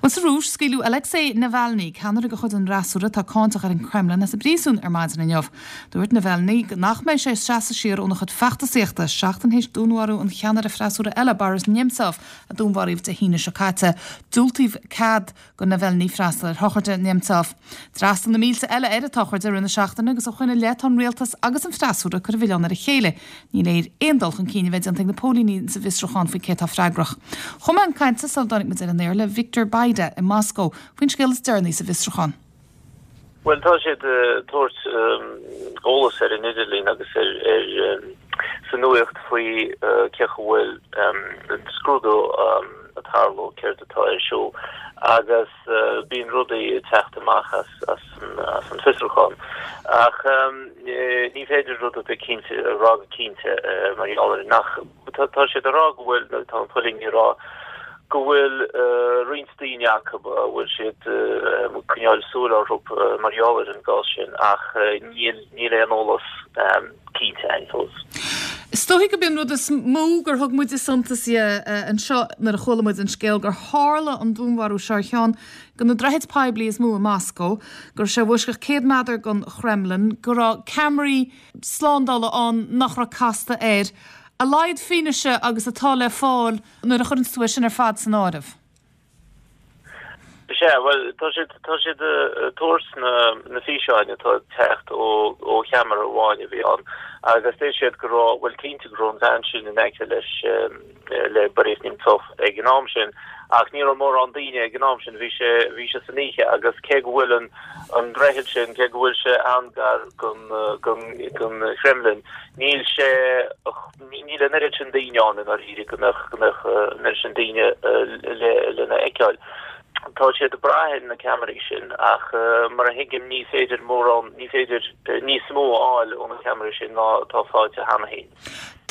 Bhuel, sa Rúis, scaoileadh Alexei Navalny, ceannaire de chuid an fhreasúra atá cáinteach ar an Kremlin, as an bpríosún ar maidin inniu. Dúirt Navalny nach mbeidh sé ag seasamh siar óna chuid feachtasaíochta, seachtain théis dúnmharú an cheannaire freasúra eile, Boris Nemtsov, a dúnmharaíodh Dé hAoine seo caite. Diúltaíodh cead do Navalny freastal ar shochraid Nemtsov. D'fhreastail na mílte eile ar an tsochraid i rith na seachtaine agus ó shoin i leith tá an rialtas agus an freasúra ag cur an mhilleáin ar a chéile. Ní léir aon dul chun cinn a bheith déanta ag na póilíní sa bhfiosrúchán faoi cé atá freagrach. Chuaigh mé chun cainte sula dtáinig muid ar an aer le Victor Bayda i Moscó faoin scéal is deireanaí sa bhfiosrúchán. Bhuel, tá siad ag tabhairt eolas ar an idirlíon agus ar sa nuaíocht faoi cén chaoi a bhfuil an scrúdú ag tarlú, céard atá ar siúl agus bíonn rudaí ag teacht amach as an fiosrúchán. Ach ní féidir rud ar bith cinnte a rá go cinnte mar gheall air nach, tá siad ag rá go bhfuil, nó tá an póilíní ag rá go bhfuil roinnt daoine acu a bhfuil siad ag coinneáil súil orthu mar gheall ar an gcás sin ach níl níl aon eolas cinnte againn fós. Is dóigh gurb é an rud is mó gur thug muide suntas dhe anseo nuair a chuala muid an scéal gur tharla an dúnmharú seo ar cheann de na droichid poiblí is mó i Moscó, go raibh sé i bhfoisceacht 100 méadar den Chremlin, go raibh ceamaraí slándála ann nach raibh casta air. A laghad fianaise agus atá le fáil nuair a chuireann tú é sin ar fad san áireamh. Sea, bhuel, tá siad, tá siad ag tabhairt na, na físeáin atá ag teacht ó, ó cheamara amháin a bhí ann agus deir siad go raibh, bhuel, cinnte go raibh an bhean sin in aice leis, le Boris Nemtsov ag an am sin ach ní raibh mórán daoine ag an am sin, bhí sé, bhí sé san oíche agus cé go bhfuil an, an droichead sin, cé go bhfuil sé an-gar don, don, don Chremlin, níl sé, Níl an oiread sin daoine ann i ndáiríre go mbeadh go mbeadh an oiread sin daoine le lena fheiceáil. Tá siad ag brath ar na ceamaraí sin ach mar a thuigim ní féidir mórán, ní féidir níos mó a fháil ó na ceamaraí sin ná atá faighte cheana féin.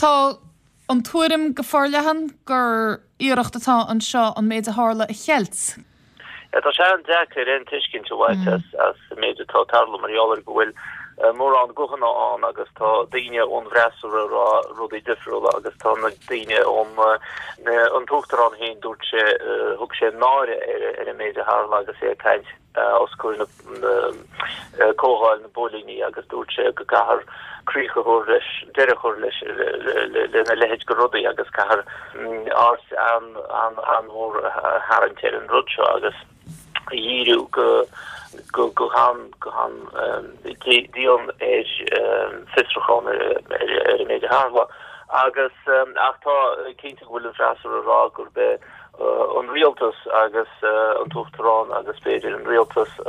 Tá an tuairim go forleathan gur iarracht atá anseo an méid a tharla a cheilt. Tá sé an-deacair aon tuiscint a bhaint as an méid atá ag tarlú mar gheall ar go bhfuil mórán guthanna ann agus tá daoine ón bhfreasúra ag rá rudaí difriúla agus tá na daoine ón an tUachtarán féin dúirt sé thug sé náire ar an méid a tharla agus é ag caint os comhair na comhdháil na bpóilíní agus dúirt sé go gcaithfear críoch a chur leis, deireadh a chur leis lena leithéid de rudaí agus caithfear aird an-mhór a tharraingt ar an rud seo agus a dhíriú go go go han go han dian ar fiosrúchán ar an méid a tharla. Agus ach tá cinnte go bhfuil an freasúra ag rá gurb é an rialtas agus an tUachtarán agus b'fhéidir an rialtas a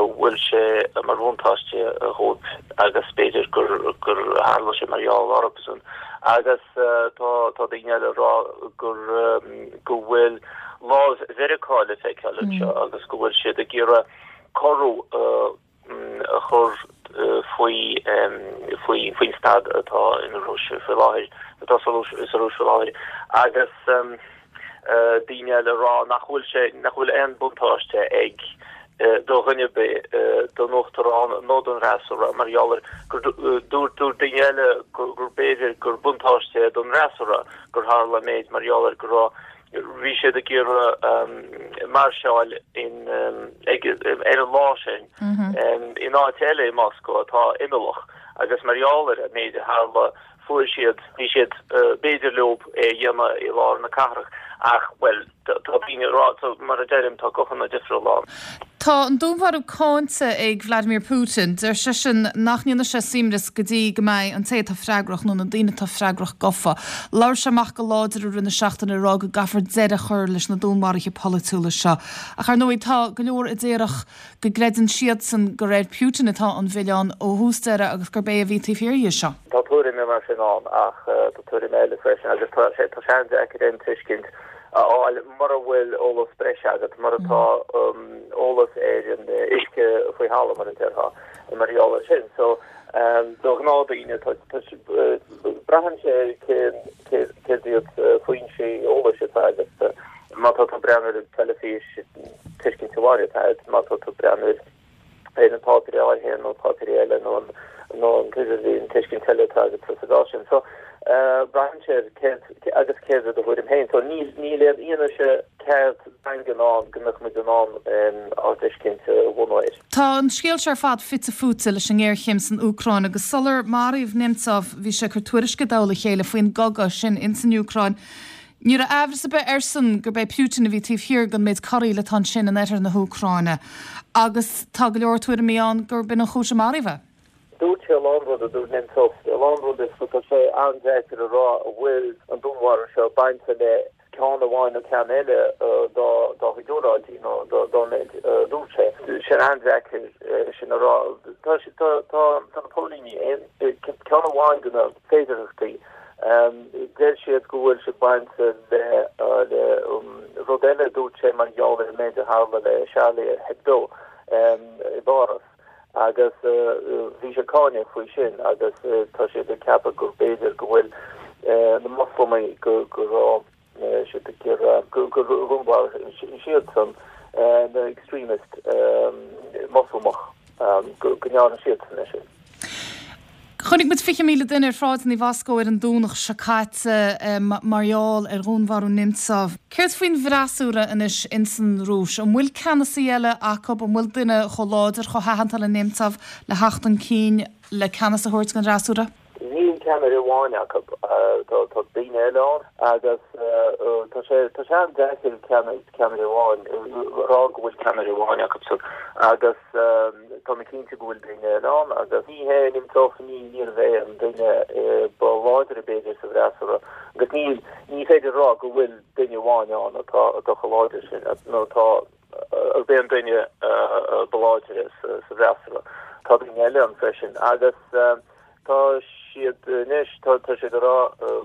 bhfuil sé mar bhuntáiste dhóibh agus b'fhéidir gur gur tharla sé mar gheall orthusan agus tá tá daoine eile ag rá gur go bhfuil lámh Mheiriceá le feiceáil anseo agus go bhfuil siad ag iarraidh corrú a chur faoi faoi faoin staid atá in Rúis faoi láthair, atá sa Rúis sa Rúis faoi láthair agus daoine eile ag rá nach bhfuil sé nach bhfuil aon buntáiste ag do dhuine ar bith, don uachtarán nó don fhreasúra mar gheall ar gur dúirt dúirt daoine eile gur b'fhéidir gur buntáiste é don fhreasúra gur tharla an méid mar gheall ar go raibh Bhí siad ag iarraidh mairseáil in ag ar an lá sin in áit eile i Moscó atá imeallach agus mar gheall ar an méid a tharla fuair siad, bhí siad, b'fhéidir leo é a dhéanamh i lár na cathrach ach, bhuel, tá daoine ag rá, mar a deirim, tá guthanna difriúla ann. Tá an dúnmharú cáinte ag Vladimir Putin. Deir seisean nach ndéanfaidh sé suaimhneas go dtí go mbeidh an té atá freagrach nó na daoine atá freagrach gafa. Labhair sé amach go láidir i rith na seachtaine ag rá go gcaithfear deireadh a chur leis na dúnmharuithe polaitiúla seo. Ach ar ndóigh tá go leor a déarfadh go gcreideann siadsan gur ar Putin atá an milleán ó thús deireadh agus gurb é a bhí taobh thiar dhe seo. Tá tuairimí mar sin ann ach tá tuairimí eile freisin agus tá sé an-deacair aon tuiscint a fháil mura bhfuil eolas breise agat, mura tá eolas ar an uisce faoi thalamh, mar a déarfá, mar gheall air sin. So, do ghnáthdhaoine, tá, braitheann sé ar cén, céard iad foinsí eolais atá agat. Má tá tú ag breathnú ar an teilifís, tuiscint amháin atá agat, má tá tú ag breathnú ar ar na páipéirí áirithe nó páipéirí eile nó an nó an t-idirlíon tuiscint eile atá agat sa gcás sin. So. Braitheann sé ar céard agus céard é do thuairim féin. So níl níl aon fhianaise ceart daingean ann go mbeadh muid in ann ár dtuiscint a bhunú air. Tá an scéal seo ar fad fite fuaite leis an ngéarchéim san Úcráin agus sular maraíodh Nemtsov bhí sé ag cur tuairisce i dtoll a chéile faoin gcogadh sin ins an Úcráin. Ní raibh aimhreas ar bith airsean gurb é Putin a bhí taobh thiar den méid corraíl atá ansin in oirthear na hÚcráine agus tá go leor tuairimí ann gurb in an chúis a maraíodh é. Dúirt sé a lán rudaí, dúirt Nemtsov a lán rudaí so tá sé an-deacair a rá an bhfuil an dúnmharú seo bainte le ceann amháin nó ceann eile dá dá chuid óráidí nó dá méid a dúirt sé. Sé an-deacair sin a rá. Tá tá tá na póilíní aon ceann amháin de na féidearthachtaí deir siad go bhfuil sé bainte le le rud eile a dúirt sé mar gheall ar an méid a tharla le Charlie Hebdo i bPáras. agus bhí sé ag cáineadh faoi sin agus tá siad ag ceapadh gur b'fhéidir go bhfuil na Moslamaigh go go raibh siad ag iarraidh go gur dhúnmharaigh siadsan na extremist Moslamach go ndearna siadsan é sin. Chonaic muid 20,000 duine ar shráideanna Mhoscó ar an Domhnach seo caite mar gheall ar dhúnmharú Nemtsov. Céard faoin bhfreasúra anois ins an Rúis? An bhfuil ceannasaí eile acu? An bhfuil duine chomh láidir, chomh haitheanta le Nemtsov le theacht chun cinn le ceannas a thabhairt don fhreasúra? Níl ceannaire amháin acu. Tá daoine eile ann agus tá sé tá sé an-deacair ceannaire amháin a rá go bhfuil ceannaire amháin acu agus Tá mé cinnte go bhfuil daoine eile ann agus ní hé Nemtsov, ní níorbh é an duine ba láidre b'fhéidir sa bhfreasúra agus níl, ní féidir a rá go bhfuil duine amháin ann atá atá chomh láidir sin nó atá arb é an duine ba láidre sa bhfreasúra. Tá daoine eile ann freisin agus Tá siad anois, tá siad ag rá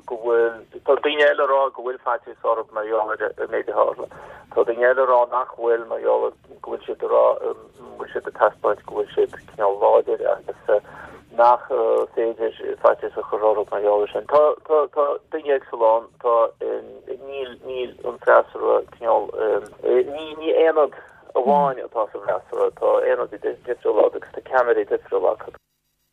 go bhfuil, tá daoine eile ag rá go bhfuil faitíos orthu mar gheall ar an méid a tharla. Tá daoine eile ag rá nach bhfuil mar gheall ar go bhfuil siad ag rá, go bhfuil siad ag taispeáint go bhfuil siad cineál láidir agus nach féidir faitíos a chur orthu mar gheall ar sin. Tá, tá, tá daoine éagsúla ann, tá, níl, níl an freasúra cineál, ní, ní aonad amháin atá sa bhfreasúra, tá aonaid difriúla agus tá ceannairí difriúla acu.